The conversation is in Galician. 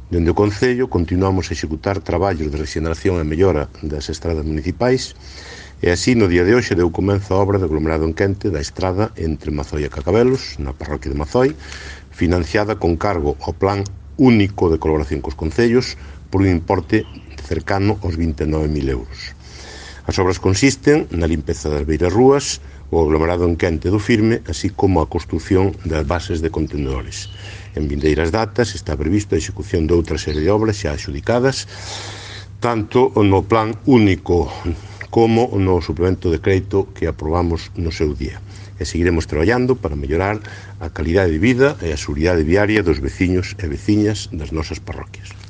Dende o Concello continuamos a executar traballos de rexeneración e mellora das estradas municipais e así no día de hoxe deu comenzo a obra de aglomerado en quente da estrada entre Mazoi e Cacabelos, na parroquia de Mazoi, financiada con cargo ao Plan Único de Colaboración cos Concellos por un importe cercano aos 29.000 euros. As obras consisten na limpeza das beiras rúas, o aglomerado en quente do Firme, así como a construción das bases de contenedores. En vindeiras datas está previsto a execución de outra serie de obras xa adxudicadas, tanto no Plan Único como no suplemento de crédito que aprobamos no seu día. E seguiremos traballando para mellorar a calidade de vida e a seguridade viaria dos veciños e veciñas das nosas parroquias.